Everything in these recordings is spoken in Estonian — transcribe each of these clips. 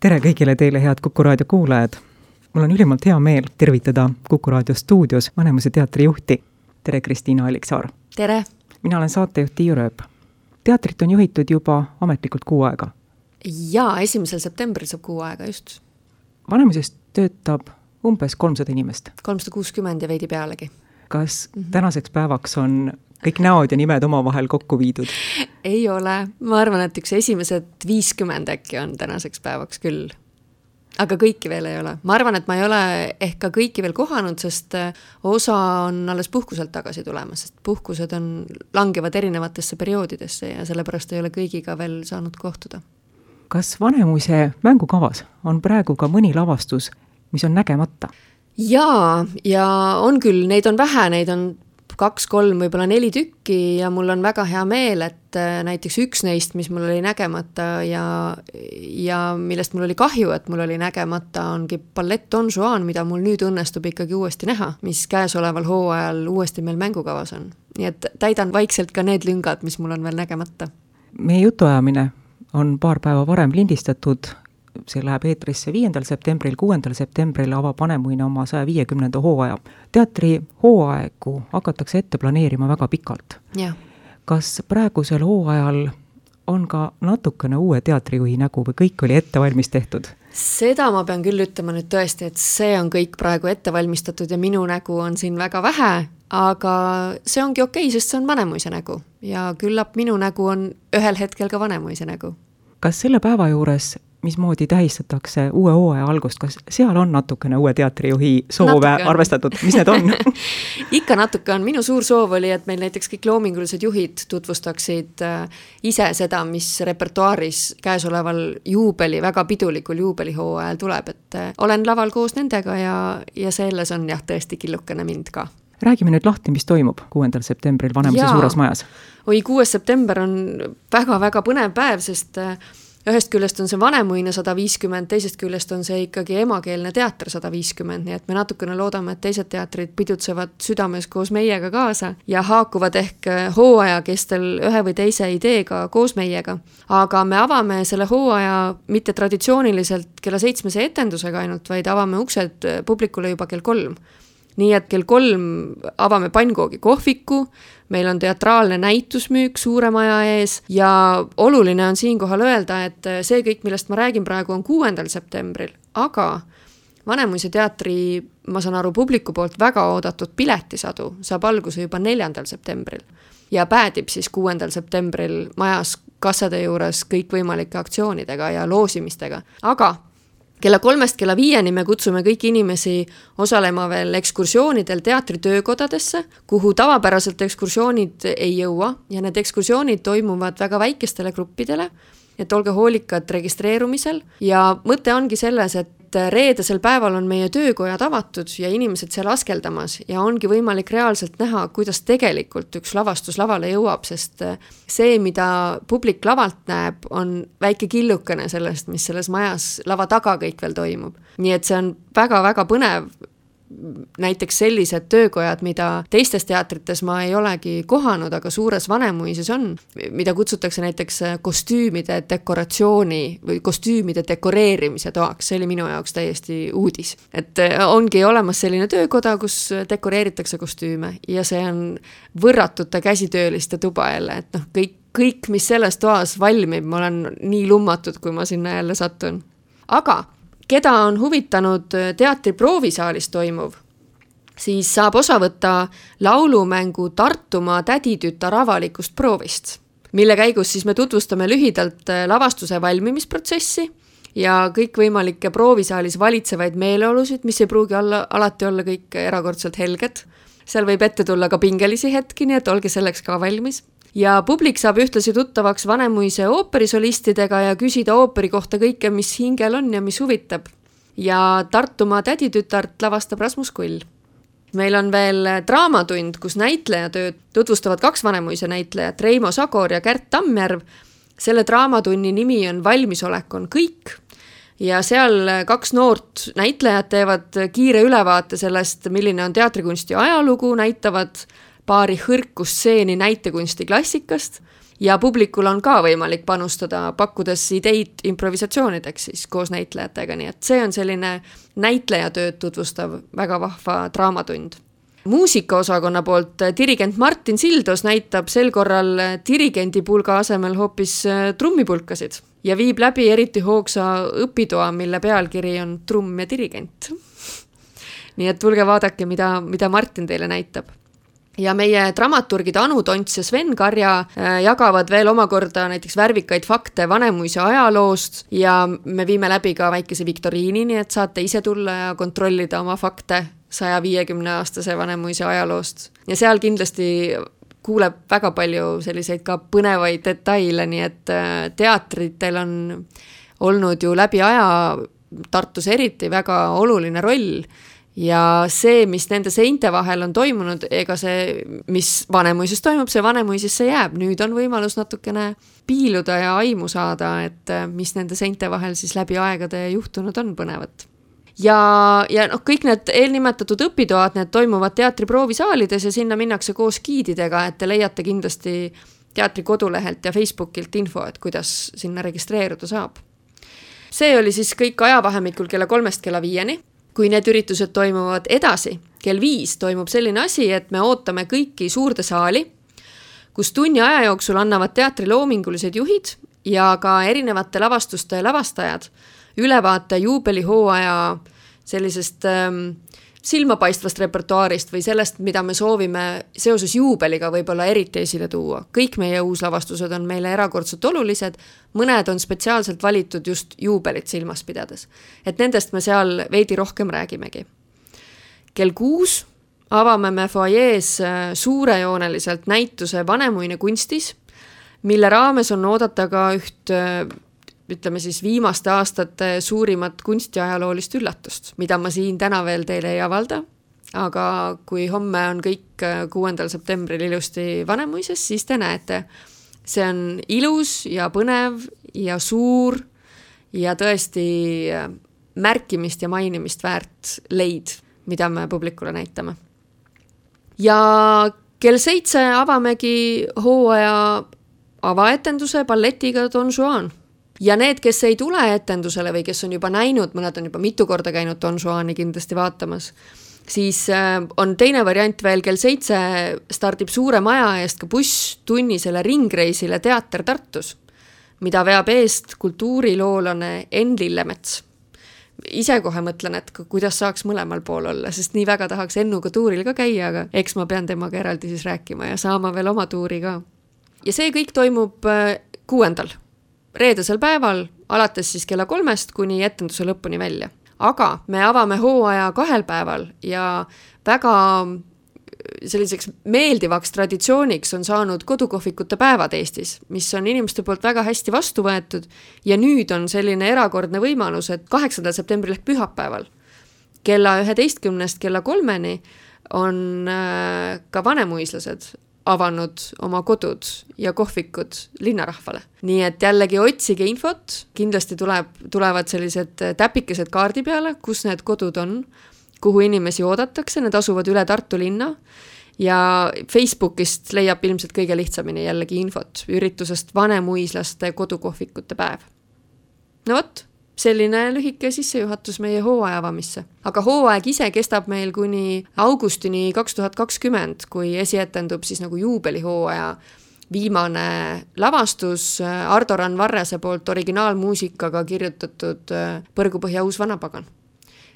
Tere kõigile teile, head Kuku Raadio kuulajad! Mul on ülimalt hea meel tervitada Kuku Raadio stuudios Vanemuise teatri juhti. Tere, Kristiina Alliksaar! Tere! Mina olen saatejuht Tiiu Rööp. Teatrit on juhitud juba ametlikult 6 aega. Jaa, 1. septembril saab 6 aega, just. Vanemuises töötab umbes 300 inimest. 360 ja veidi pealegi. Kas tänaseks päevaks on kõik näod ja nimed omavahel kokku viidud? Ei ole. Ma arvan, et üks esimesed 50 äkki on tänaseks päevaks küll. Aga kõiki veel ei ole. Ma arvan, et ma ei ole ehk ka kõiki veel kohanud, sest osa on alles puhkuselt tagasi tulemas, sest puhkused langevad erinevatesse perioodidesse ja sellepärast ei ole kõigiga veel saanud kohtuda. Kas Vanemuise mängukavas on praegu ka mõni lavastus, mis on nägemata? Jaa, ja on küll, neid on vähe, neid on 2, 3, võib-olla 4 tükki ja mul on väga hea meel, et näiteks üks neist, mis mul oli nägemata ja millest mul oli kahju, et mul oli nägemata, ongi ballett Don Juan, mida mul nüüd õnnestub ikkagi uuesti näha, mis käesoleval hooajal uuesti meil mängukavas on. Nii et täidan vaikselt ka need lüngad, mis mul on veel nägemata. Meie jutuajamine on paar päeva varem lindistatud. See läheb eetrisse 5. septembril, 6. septembril avab Vanemuine oma 150. hooaja. Teatri hooaegu hakatakse ette planeerima väga pikalt. Ja. Kas praegusel hooajal on ka natukene uue teatrijuhi nägu või kõik oli ettevalmis tehtud? Seda ma pean küll ütlema nüüd tõesti, et see on kõik praegu ettevalmistatud ja minu nägu on siin väga vähe, aga see ongi okei, sest see on Vanemuise nägu ja küllap minu nägu on ühel hetkel ka Vanemuise nägu. Kas selle päeva juures mismoodi tähistatakse uue hooaja algust, kas seal on natukene uue teatrijuhi soove arvestatud, mis need on? Ikka natuke on. Minu suur soov oli, et meil näiteks kõik loomingulised juhid tutvustaksid ise seda, mis repertuaaris käesoleval väga pidulikul juubelihooajal tuleb, et olen laval koos nendega ja selles on jah tõesti killukene mind ka. Räägime nüüd lahti, mis toimub 6. septembril Vanemuise suures majas. 6. september on väga-väga põnev päev, sest ühest küljest on see Vanemuine 150, teisest küljest on see ikkagi emakeelne teater 150, nii et me natukene loodame, et teised teatrid pidutsevad südames koos meiega kaasa ja haakuvad ehk hooaja kestel ühe või teise ideega koos meiega. Aga me avame selle hooaja mitte traditsiooniliselt kella 7 etendusega ainult, vaid avame uksed publikule juba kell 3. Nii et kell 3 avame pannkoogi kohviku, meil on teatraalne näitusmüük suure maja ees ja oluline on siinkohal öelda, et see kõik, millest ma räägin praegu, on 6. septembril, aga Vanemuise teatri, ma saan aru, publiku poolt väga oodatud piletisadu saab alguse juba 4. septembril ja päädib siis 6. septembril majas kassade juures kõikvõimalike aktsioonidega ja loosimistega, aga kella 3-st kella 5 me kutsume kõiki inimesi osalema veel ekskursioonidel teatritöökodadesse, kuhu tavapäraselt ekskursioonid ei jõua ja need ekskursioonid toimuvad väga väikestele gruppidele, et olge hoolikad registreerumisel ja mõte ongi selles, et reedesel päeval on meie töökojad avatud ja inimesed seal askeldamas ja ongi võimalik reaalselt näha, kuidas tegelikult üks lavastus lavale jõuab, sest see, mida publik lavalt näeb, on väike killukene sellest, mis selles majas lava taga kõik veel toimub. Nii et see on väga-väga põnev. Näiteks sellised töökojad, mida teistes teatrites ma ei olegi kohanud, aga suures Vanemuises on, mida kutsutakse näiteks kostüümide dekoratsiooni või kostüümide dekoreerimise toaks. See oli minu jaoks täiesti uudis. Et ongi olemas selline töökoda, kus dekoreeritakse kostüüme ja see on võrratute käsitööliste tuba jälle, et kõik, mis selles toas valmib, ma olen nii lummatud, kui ma sinna jälle satun. Aga keda on huvitanud teatri proovisaalis toimuv, siis saab osa võtta laulumängu Tartumaa täditütar avalikust proovist, mille käigus siis me tutvustame lühidalt lavastuse valmimisprotsessi ja kõikvõimalikke proovisaalis valitsevaid meeleolusid, mis ei pruugi alati olla kõik erakordselt helged. Seal võib ette tulla ka pingelisi hetki, nii et olge selleks ka valmis. Ja publik saab ühtlasi tuttavaks Vanemuise ooperisolistidega ja küsida ooperi kohta kõike, mis hingel on ja mis huvitab. Ja Tartumaa täditütart lavastab Rasmus Kull. Meil on veel draamatund, kus näitlejatööd tutvustavad 2 Vanemuise näitlejat, Reimo Sagor ja Kärt Tammjärv. Selle draamatunni nimi on Valmisolek on kõik. Ja seal 2 noort näitlejad teevad kiire ülevaate sellest, milline on teatrikunsti ajalugu, näitavad paari hõrkustseeni näitekunsti klassikast Ja publikul on ka võimalik panustada, pakkudes ideid improvisatsioonideks siis koos näitlejatega, nii et see on selline näitlejatööd tutvustav väga vahva draamatund. Muusikaosakonna poolt dirigent Martin Sildos näitab sel korral dirigendipulga asemel hoopis trummipulkasid ja viib läbi eriti hoogsa õpitoa, mille pealkiri on trumm ja dirigent. Nii et tulge vaadake, mida Martin teile näitab. Ja meie dramaturgid Anu Tonts ja Sven Karja jagavad veel omakorda näiteks värvikaid fakte Vanemuise ajaloost ja me viime läbi ka väikese viktoriini, nii et saate ise tulla ja kontrollida oma fakte 150-aastase Vanemuise ajaloost. Ja seal kindlasti kuuleb väga palju selliseid ka põnevaid detaile, nii et teatritel on olnud ju läbi aja Tartus eriti väga oluline roll. Ja see, mis nende seinte vahel on toimunud, ega see, mis Vanemuises toimub, see Vanemuisesse jääb. Nüüd on võimalus natukene piiluda ja aimu saada, et mis nende seinte vahel siis läbi aegade juhtunud on põnevat. Ja kõik need eelnimetatud õpitoad, need toimuvad teatri proovisaalides ja sinna minnakse koos giididega, et te leiate kindlasti teatri kodulehelt ja Facebookilt info, et kuidas sinna registreeruda saab. See oli siis kõik ajavahemikul kella 3 kella 5. Kui need üritused toimuvad edasi, kell 5 toimub selline asi, et me ootame kõiki suurde saali, kus tunni aja jooksul annavad teatri loomingulised juhid ja ka erinevate lavastuste lavastajad ülevaate juubelihooaja sellisest silmapaistvast repertuaarist või sellest, mida me soovime seoses juubeliga võib-olla eriti esile tuua. Kõik meie uuslavastused on meile erakordselt olulised, mõned on spetsiaalselt valitud just juubelit silmas pidades. Et nendest me seal veidi rohkem räägimegi. Kell 6 avame me foajees suurejooneliselt näituse Vanemuine kunstis, mille raames on oodata ka üht ütleme siis viimaste aastate suurimat kunstiajaloolist üllatust, mida ma siin täna veel teile ei avalda, aga kui homme on kõik 6. septembril ilusti Vanemuises, siis te näete. See on ilus ja põnev ja suur ja tõesti märkimist ja mainimist väärt leid, mida me publikule näitame. Ja kell 7 avamegi hooaja avaetenduse balletiga Don Juan. Ja need, kes ei tule etendusele või kes on juba näinud, mõned on juba mitu korda käinud Don Juani kindlasti vaatamas, siis on teine variant veel kell 7 stardib suure maja eest ka buss tunnisele ringreisile Teater Tartus, mida veab eest kultuuriloolane Enn Lillemets. Ise kohe mõtlen, et kuidas saaks mõlemal pool olla, sest nii väga tahaks Ennuga tuuril ka käia, aga eks ma pean temaga eraldi siis rääkima ja saama veel oma tuuri ka. Ja see kõik toimub 6. reedesel päeval, alates siis kella 3 kuni etenduse lõpuni välja. Aga me avame hooaja 2 päeval ja väga selliseks meeldivaks traditsiooniks on saanud kodukohvikute päevad Eestis, mis on inimeste poolt väga hästi vastu võetud ja nüüd on selline erakordne võimalus, et 8. septembril ehk pühapäeval kella 11 kella 3 on ka vanemuislased avanud oma kodud ja kohvikud linnarahvale. Nii et jällegi otsige infot, kindlasti tulevad sellised täpikesed kaardi peale, kus need kodud on, kuhu inimesi oodatakse, need asuvad üle Tartu linna ja Facebookist leiab ilmselt kõige lihtsamini jällegi infot üritusest vanemuislaste kodukohvikute päev. No vot, selline lühike sissejuhatus meie hooaja avamisse. Aga hooaeg ise kestab meil kuni augustini 2020, kui esietendub siis nagu juubelihooaja viimane lavastus Ardo Rannvarrese poolt originaalmuusikaga kirjutatud Põrgupõhja uus vanapagan.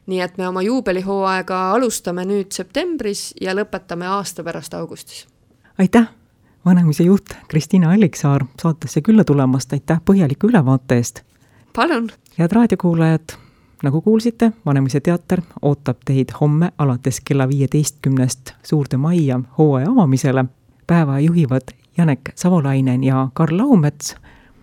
Nii et me oma juubelihooaega alustame nüüd septembris ja lõpetame aasta pärast augustis. Aitäh, Vanemuise juht Kristiina Alliksaar saatesse külla tulemast, aitäh põhjaliku ülevaate eest. Palun! Head raadiokuulajad, nagu kuulsite, Vanemuise teater ootab teid homme alates kella 15 suurde majja hooaja avamisele. Päeva juhivad Janek Savolainen ja Karl Laumets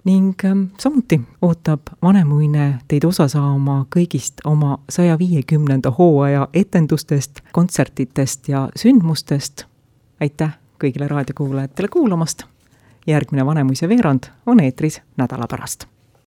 ning samuti ootab Vanemuine teid osa saama kõigist oma 150. hooaja etendustest, kontsertitest ja sündmustest. Aitäh kõigile raadiokuulajatele kuulamast. Järgmine Vanemuise veerand on eetris nädala pärast.